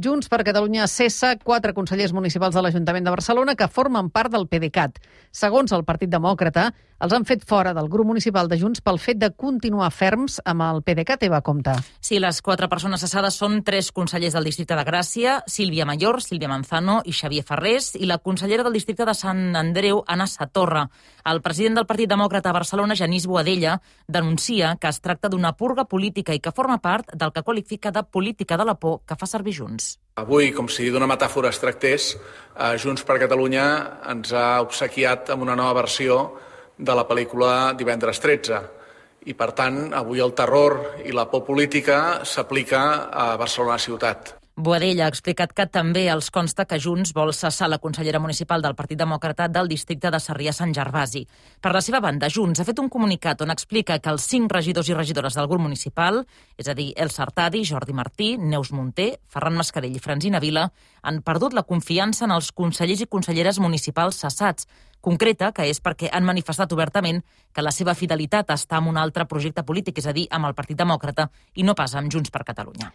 Junts per Catalunya cessa 4 consellers municipals de l'Ajuntament de Barcelona que formen part del PDeCAT. Segons el Partit Demòcrata, els han fet fora del grup municipal de Junts pel fet de continuar ferms amb el PDeCAT. Eva Compte. Sí, les 4 persones cessades són 3 consellers del districte de Gràcia, Sílvia Mayor, Sílvia Manzano i Xavier Ferrés, i la consellera del districte de Sant Andreu, Anna Satorra. El president del Partit Demòcrata a Barcelona, Genís Boadella, denuncia que es tracta d'una purga política i que forma part del que qualifica de política de la por que fa servir Junts. Avui, com si d'una metàfora es tractés, Junts per Catalunya ens ha obsequiat amb una nova versió de la pel·lícula Divendres 13. I, per tant, avui el terror i la por política s'aplica a Barcelona ciutat. Boadella ha explicat que també els consta que Junts vol cessar la consellera municipal del Partit Demòcrata del districte de Sarrià-Sant Gervasi. Per la seva banda, Junts ha fet un comunicat on explica que els 5 regidors i regidores del grup municipal, és a dir, Elsa Artadi, Jordi Martí, Neus Munté, Ferran Mascarell i Francina Vila, han perdut la confiança en els consellers i conselleres municipals cessats. Concreta que és perquè han manifestat obertament que la seva fidelitat està en un altre projecte polític, és a dir, amb el Partit Demòcrata i no pas amb Junts per Catalunya.